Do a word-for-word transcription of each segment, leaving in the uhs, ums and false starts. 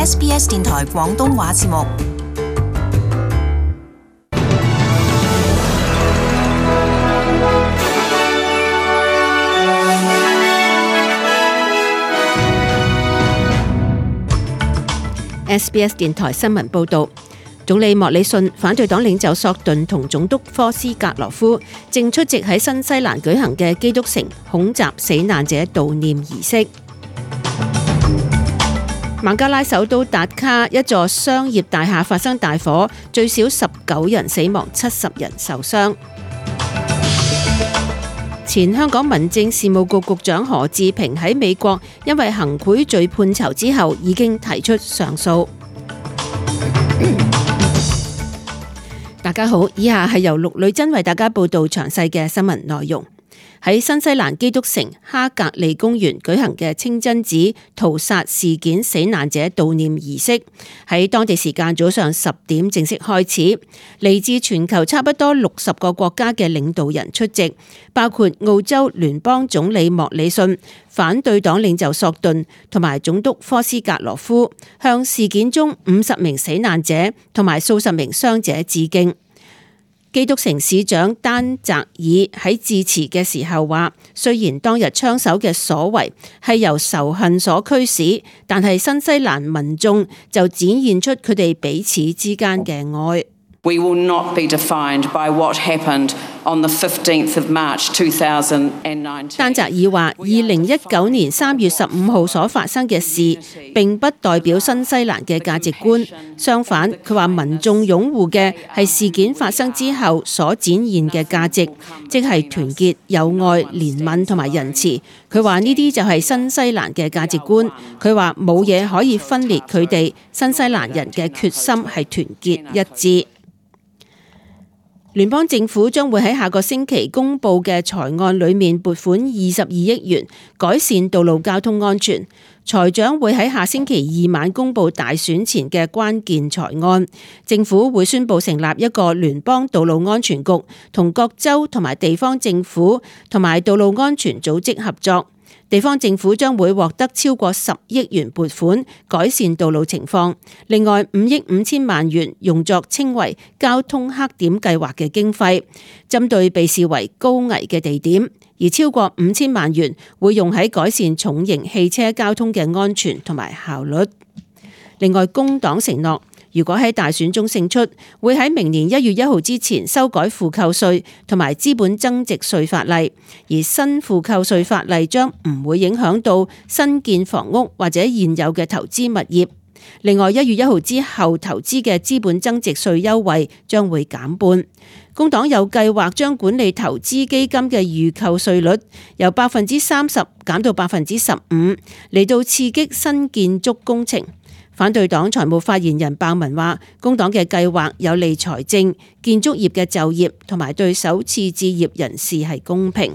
S B S 電台廣東話節目。S B S 電台新聞報導，總理莫里遜、反對黨領袖索頓同總督科斯格羅夫正出席喺新西蘭舉行嘅基督城恐襲死難者悼念儀式。孟加拉首都達卡一座商業大廈發生大火，最少十九人死亡，七十人受傷。前香港民政事務局局長何志平喺美國因為行賄罪判囚之後，已經提出上訴。大家好，以下係由陸女珍為大家報道詳細嘅新聞內容。喺新西蘭基督城哈格利公園舉行嘅清真寺屠殺事件死難者悼念儀式，喺當地時間早上十點正式開始。嚟自全球差不多六十個國家嘅領導人出席，包括澳洲聯邦總理莫里遜、反對黨領袖索頓同埋總督科斯格羅夫，向事件中五十名死難者同埋數十名傷者致敬。基督城市長丹澤爾喺致辭嘅時候話，雖然當日槍手嘅所為係由仇恨所驅使，但係新西蘭民眾就展現出佢哋彼此之間嘅愛。We will not be defined by what happened on the fifteenth of March two thousand nineteen。丹澤爾話：二零一九年三月十五號所發生嘅事並不代表新西蘭嘅價值觀，相反，佢話民眾擁護嘅係事件發生之後所展現嘅價值，即係團結、友愛、憐憫同埋仁慈。佢話呢啲就係新西蘭嘅價值觀。佢話冇嘢可以分裂佢哋，新西蘭人嘅決心係團結一致。聯邦政府將會喺下個星期公布嘅財案裏面撥款二十二億元改善道路交通安全。財長會喺下星期二晚公布大選前嘅關鍵財案。政府會宣布成立一個聯邦道路安全局，同各州同埋地方政府同埋道路安全組織合作。地方政府將會獲得超過十億元撥款改善道路情況，另外五億五千萬元用作稱為交通黑點計劃嘅經費，針對被視為高危嘅地點，而超過五千萬元會用喺改善重型汽車交通嘅安全同埋效率。另外，工黨承諾，如果喺大選中勝出，會喺明年一月一號之前修改負扣稅同埋資本增值稅法例，而新負扣稅法例將唔會影響到新建房屋或者現有嘅投資物業。另外，一月一號之後投資嘅資本增值稅優惠將會減半。工黨有計劃將管理投資基金嘅預扣稅率由百分之三十減到百分之十五，嚟到刺激新建築工程。反對黨財務發言人鮑文話，工黨嘅計劃有利財政、建築業嘅就業同埋對首次置業人士係公平。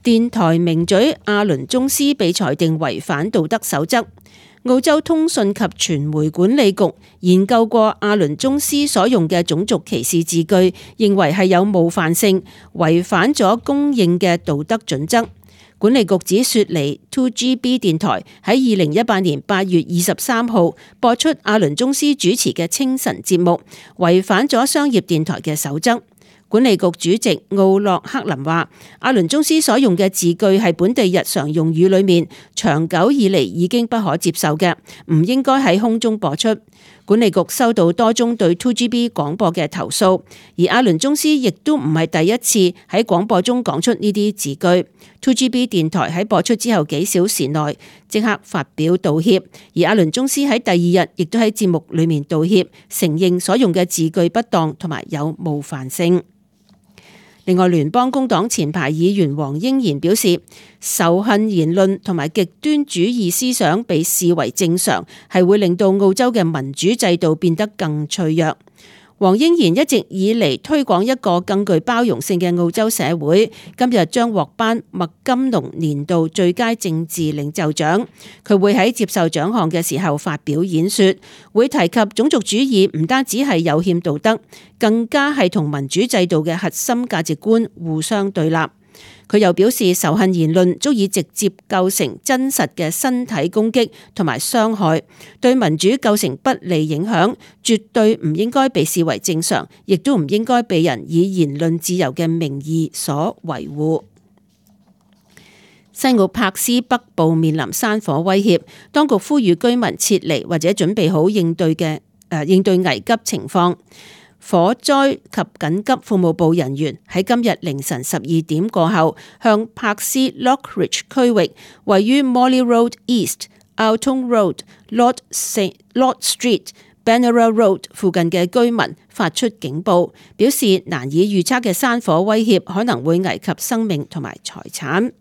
電台名嘴阿倫宗斯被裁定違反道德守則。澳洲通訊及傳媒管理局研究過阿倫宗斯所用嘅種族歧視字句，認為係有冒犯性，違反咗公認嘅道德準則。管理局指雪梨 two G B 電台喺二零一八年八月二十三號播出阿倫宗斯主持嘅清晨節目，違反咗商業電台嘅守則。管理局主席奧洛克林話，阿倫宗斯所用嘅字句係本地日常用語裏面長久以嚟已經不可接受嘅，唔應該喺空中播出。管理局收到多宗對 two G B 廣播嘅投訴，而阿倫宗斯亦都唔係第一次喺廣播中講出呢啲字句。two G B 電台喺播出之後幾小時內即刻發表道歉，而阿倫宗斯喺第二日亦都喺節目裏面道歉，承認所用嘅字句不當同埋有冒犯性。另外，聯邦工黨前排議員黃英賢表示，仇恨言論同埋極端主義思想被視為正常，係會令到澳洲嘅民主制度變得更脆弱。黃英賢一直以嚟推廣一個更具包容性嘅澳洲社會，今日將獲頒麥金龍年度最佳政治領袖獎。佢會喺接受獎項嘅時候發表演說，會提及種族主義唔單止係有欠道德，更加係同民主制度嘅核心價值觀互相對立。佢又表示，仇恨言論足以直接構成真實嘅身體攻擊同埋傷害，對民主構成不利影響，絕對唔應該被視為正常，亦都唔應該被人以言論自由嘅名義所維護。西澳柏斯北部面臨山火威脅，當局呼籲居民撤離或者準備好應對嘅誒、呃、應對危急情況。火災及緊急服務部人員喺今日凌晨十二點過後，向柏斯 Lockridge 區域位於 Morley Road East、Alton Road、Lord Lord Street、Benera Road 附近嘅居民發出警報，表示難以預測嘅山火威脅可能會危及生命同埋財產。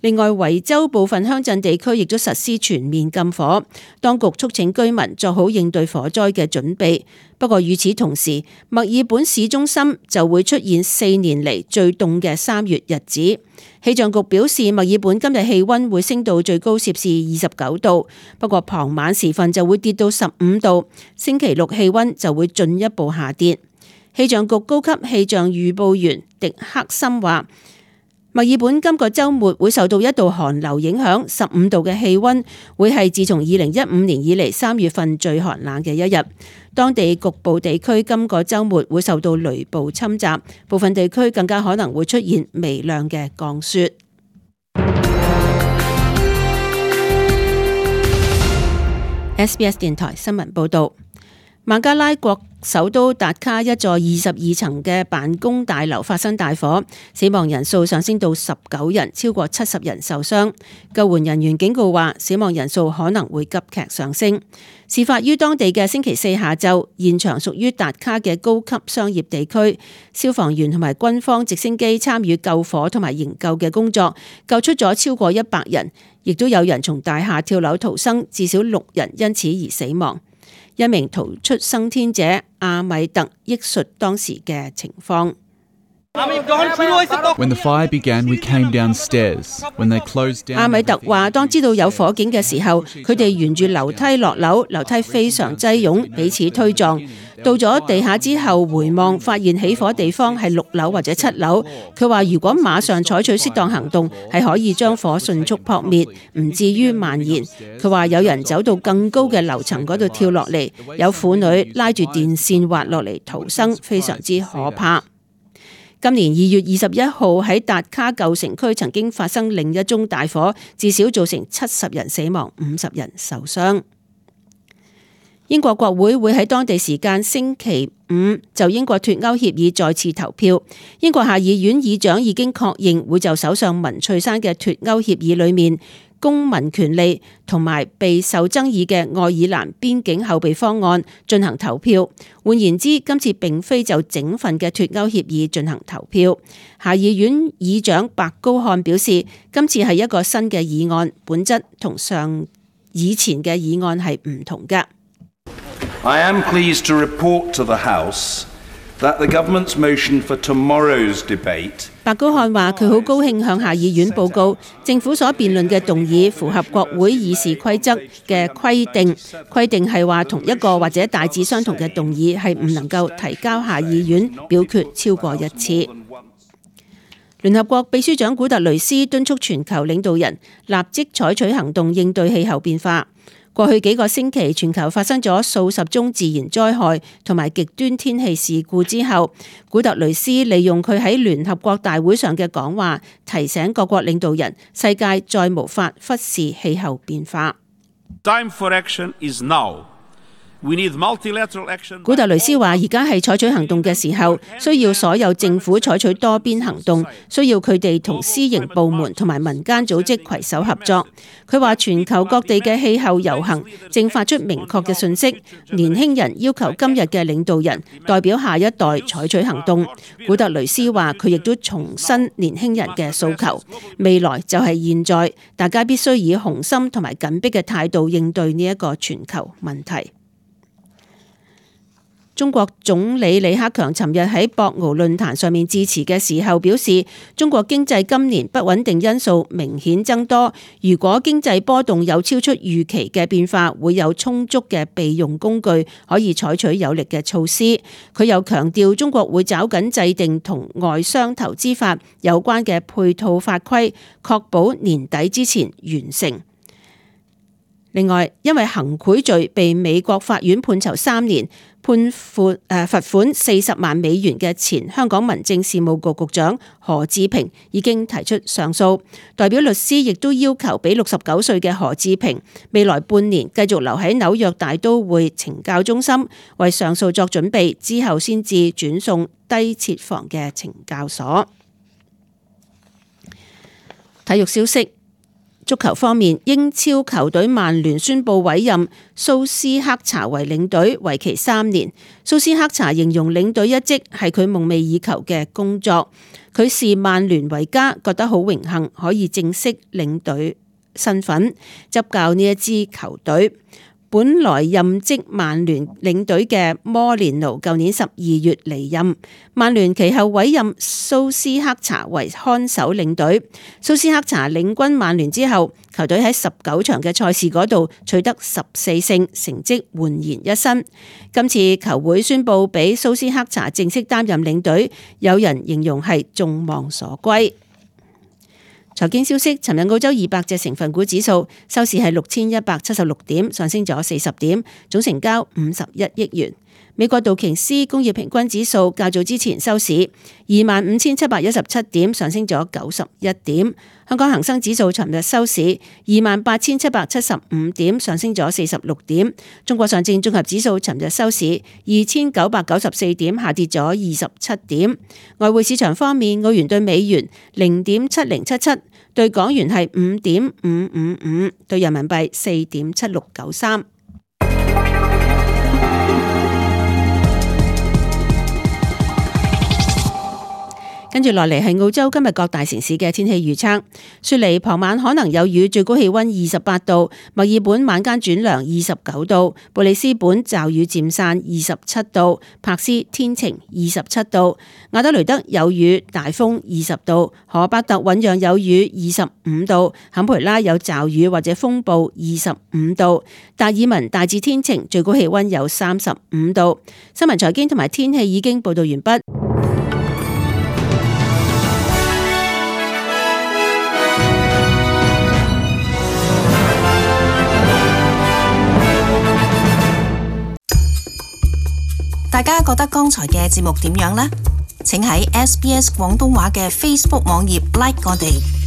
另外，維州部分鄉鎮地區亦都實施全面禁火，當局促請居民做好應對火災嘅準備。不過與此同時，墨爾本市中心就會出現四年嚟最凍嘅三月日子。氣象局表示，墨爾本今日氣溫會升到最高攝氏二十九度，不過傍晚時分就會跌到十五度。星期六氣溫就會進一步下跌。氣象局高級氣象預報員迪克森話，墨爾本今個週末會受到一道寒流影響，十五度嘅氣溫會係自從二零一五年以嚟三月份最寒冷嘅一日。當地局部地區今個週末會受到雷暴侵襲，部分地區更加可能會出現微量嘅降雪。S B S 電台新聞報導。孟加拉國首都達卡一座二十二層嘅辦公大樓發生大火，死亡人數上升到十九人，超過七十人受傷。救援人員警告話，死亡人數可能會急劇上升。事發於當地嘅星期四下晝，現場屬於達卡嘅高級商業地區，消防員同埋軍方直升機參與救火同埋營救嘅工作，救出咗超過一百人，亦都有人從大廈跳樓逃生，至少六人因此而死亡。一名逃出生天者阿米特憶述當時嘅情況。When the fire began, we came downstairs. When they closed down, 阿米特話：當知道有火警嘅時候，佢哋沿住樓梯落樓，樓梯非常擠擁，彼此推撞。到咗地下之後，回望發現起火地方係六樓或者七樓。佢話：如果馬上採取適當行動，係可以將火迅速撲滅，唔至於蔓延。佢話有人走到更高嘅樓層嗰度跳落嚟，有婦女拉住電線滑落嚟逃生，非常之可怕。今年二月二十一號喺達卡舊城區曾經發生另一宗大火，至少造成七十人死亡，五十人受傷。英國國會會喺當地時間星期五就英國脫歐協議再次投票。英國下議院議長已經確認會就首相文翠珊嘅脫歐協議裏面公民權利同埋備受爭議嘅愛爾蘭邊境後備方案進行投票。換言之，今次並非就整份嘅脫歐協議進行投票。下議院議長白高漢表示，今次係一個新嘅議案，本質同上以前嘅議案係唔同嘅。I am pleased to report to the House that the government's motion for tomorrow's debate。白高漢話：佢好高興向下議院報告，政府所辯論嘅動議符合國會議事規則嘅規定。規定係話同一個或者大致相同嘅動議係唔能夠提交下議院表決超過一次。聯合國秘書長古特雷斯敦促全球領導人立即採取行動應對氣候變化。過去幾個星期，全球發生咗數十宗自然災害同埋極端天氣事故之後，古特雷斯利用佢喺聯合國大會上嘅講話，提醒各國領導人，世界再無法忽視氣候變化。Time for action is now. We need multilateral action. 古特雷斯話：而家係採取行動嘅時候，需要所有政府採取多邊行動，需要佢哋同私營部門同埋民間組織攜手合作。佢話全球各地嘅氣候遊行正發出明確嘅訊息，年輕人要求今日嘅領導人代表下一代採取行動。古特雷斯話佢亦都重申年輕人嘅訴求，未來就係現在，大家必須以雄心同埋緊迫嘅態度應對呢一個全球問題。中國總理李克強尋日喺博鰲論壇上面致辭嘅時候表示，中國經濟今年不穩定因素明顯增多，如果經濟波動有超出預期嘅變化，會有充足嘅備用工具可以採取有力嘅措施。佢又強調，中國會抓緊制定同外商投資法有關嘅配套法規，確保年底之前完成。另外，因為行賄罪被美國法院判囚三年，判罰誒罰款四十萬美元嘅前香港民政事務局局長何志平已經提出上訴，代表律師亦都要求俾六十九歲嘅何志平未來半年繼續留喺紐約大都會懲教中心，為上訴作準備，之後先至轉送低設防嘅懲教所。體育消息。足球方面，英超球隊曼聯宣布委任蘇斯克查為領隊，為期三年。蘇斯克查形容領隊一職係佢夢寐以求嘅工作，佢視曼聯為家，覺得好榮幸可以正式領隊身份執教呢一支球隊。本來任職曼聯領隊嘅摩連奴舊年十二月離任，曼聯其後委任蘇斯克查為看守領隊。蘇斯克查領軍曼聯之後，球隊喺十九場嘅賽事嗰度取得十四勝，成績煥然一新。今次球會宣布俾蘇斯克查正式擔任領隊，有人形容係眾望所歸。財經消息，尋日澳洲二百隻成分股指數收市係六千一百七十六點，上升咗四十點，總成交五十一億元。美國道瓊斯工業平均指數較早之前收市二萬五千七百一十七點，上升咗九十一點。香港恒生指數尋日收市二萬八千七百七十五點，上升咗四十六點。中國上證綜合指數尋日收市二千九百九十四點，下跌咗二十七點。外匯市場方面，澳元對美元零點七零七七，對港元係五點五五五，對人民幣四點七六九三。跟住落嚟係澳洲今日各大城市嘅天氣預測。雪梨傍晚可能有雨，最高氣溫二十八度；墨爾本晚間轉涼，二十九度；布里斯本驟雨漸散，二十七度；柏斯天晴，二十七度；亞德雷德有雨大風，二十度；荷伯特醞釀有雨，二十五度；坎培拉有驟雨或者風暴，二十五度；達爾文大致天晴，最高氣溫有三十五度。新聞財經同埋天氣已經報道完畢。大家覺得剛才嘅節目點樣呢？請喺 S B S 廣東話嘅 Facebook 網頁 like 我哋。